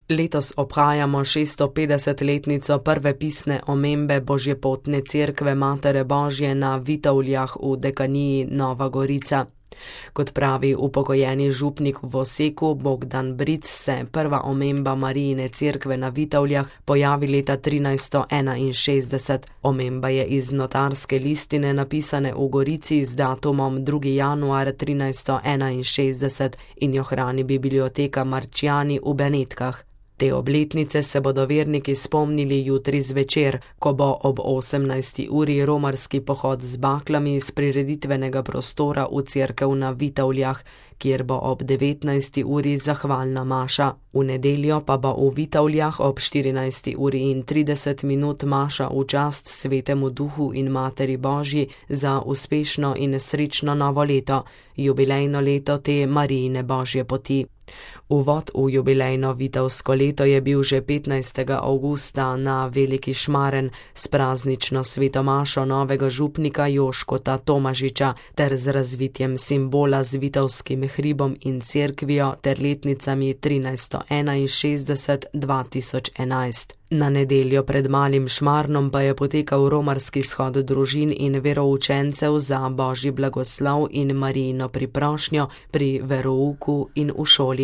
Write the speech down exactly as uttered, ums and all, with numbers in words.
Letos obhajamo šeststopetdesetletnico prve pisne omembe Božjepotne cerkve Matere Božje na Vitovljah v dekaniji Nova Gorica. Kot pravi upokojeni župnik v Oseku Bogdan Bric, se prva omemba Marijine cerkve na Vitovljah pojavi leta trinajststo enainšestdeset. Omemba je iz notarske listine napisane v Gorici z datumom drugi januar trinajststo enainšestdeset in jo hrani biblioteka Marčjani v Benetkah. Te obletnice se bodo verniki spomnili jutri zvečer, ko bo ob osemnajsti uri romarski pohod z baklami iz prireditvenega prostora v cerkev na Vitovljah, kjer bo ob devetnajsti uri zahvalna maša. V nedeljo pa bo v Vitovljah ob štirinajsti uri in trideset minut maša v čast Svetemu Duhu in Materi Božji za uspešno in srečno novo leto, jubilejno leto te Marijine Božje poti. Uvod v jubilejno vitovsko leto je bil že petnajstega avgusta na Veliki Šmaren s praznično svetomašo novega župnika Joškota Tomažiča ter z razvitjem simbola z vitovskim hribom in cerkvijo ter letnicami trinajststo enainšestdeset do dva tisoč enajst. Na nedeljo pred Malim Šmarnom pa je potekal romarski shod družin in veroučencev za Božji blagoslov in Marijino priprošnjo pri verouku in v šoli.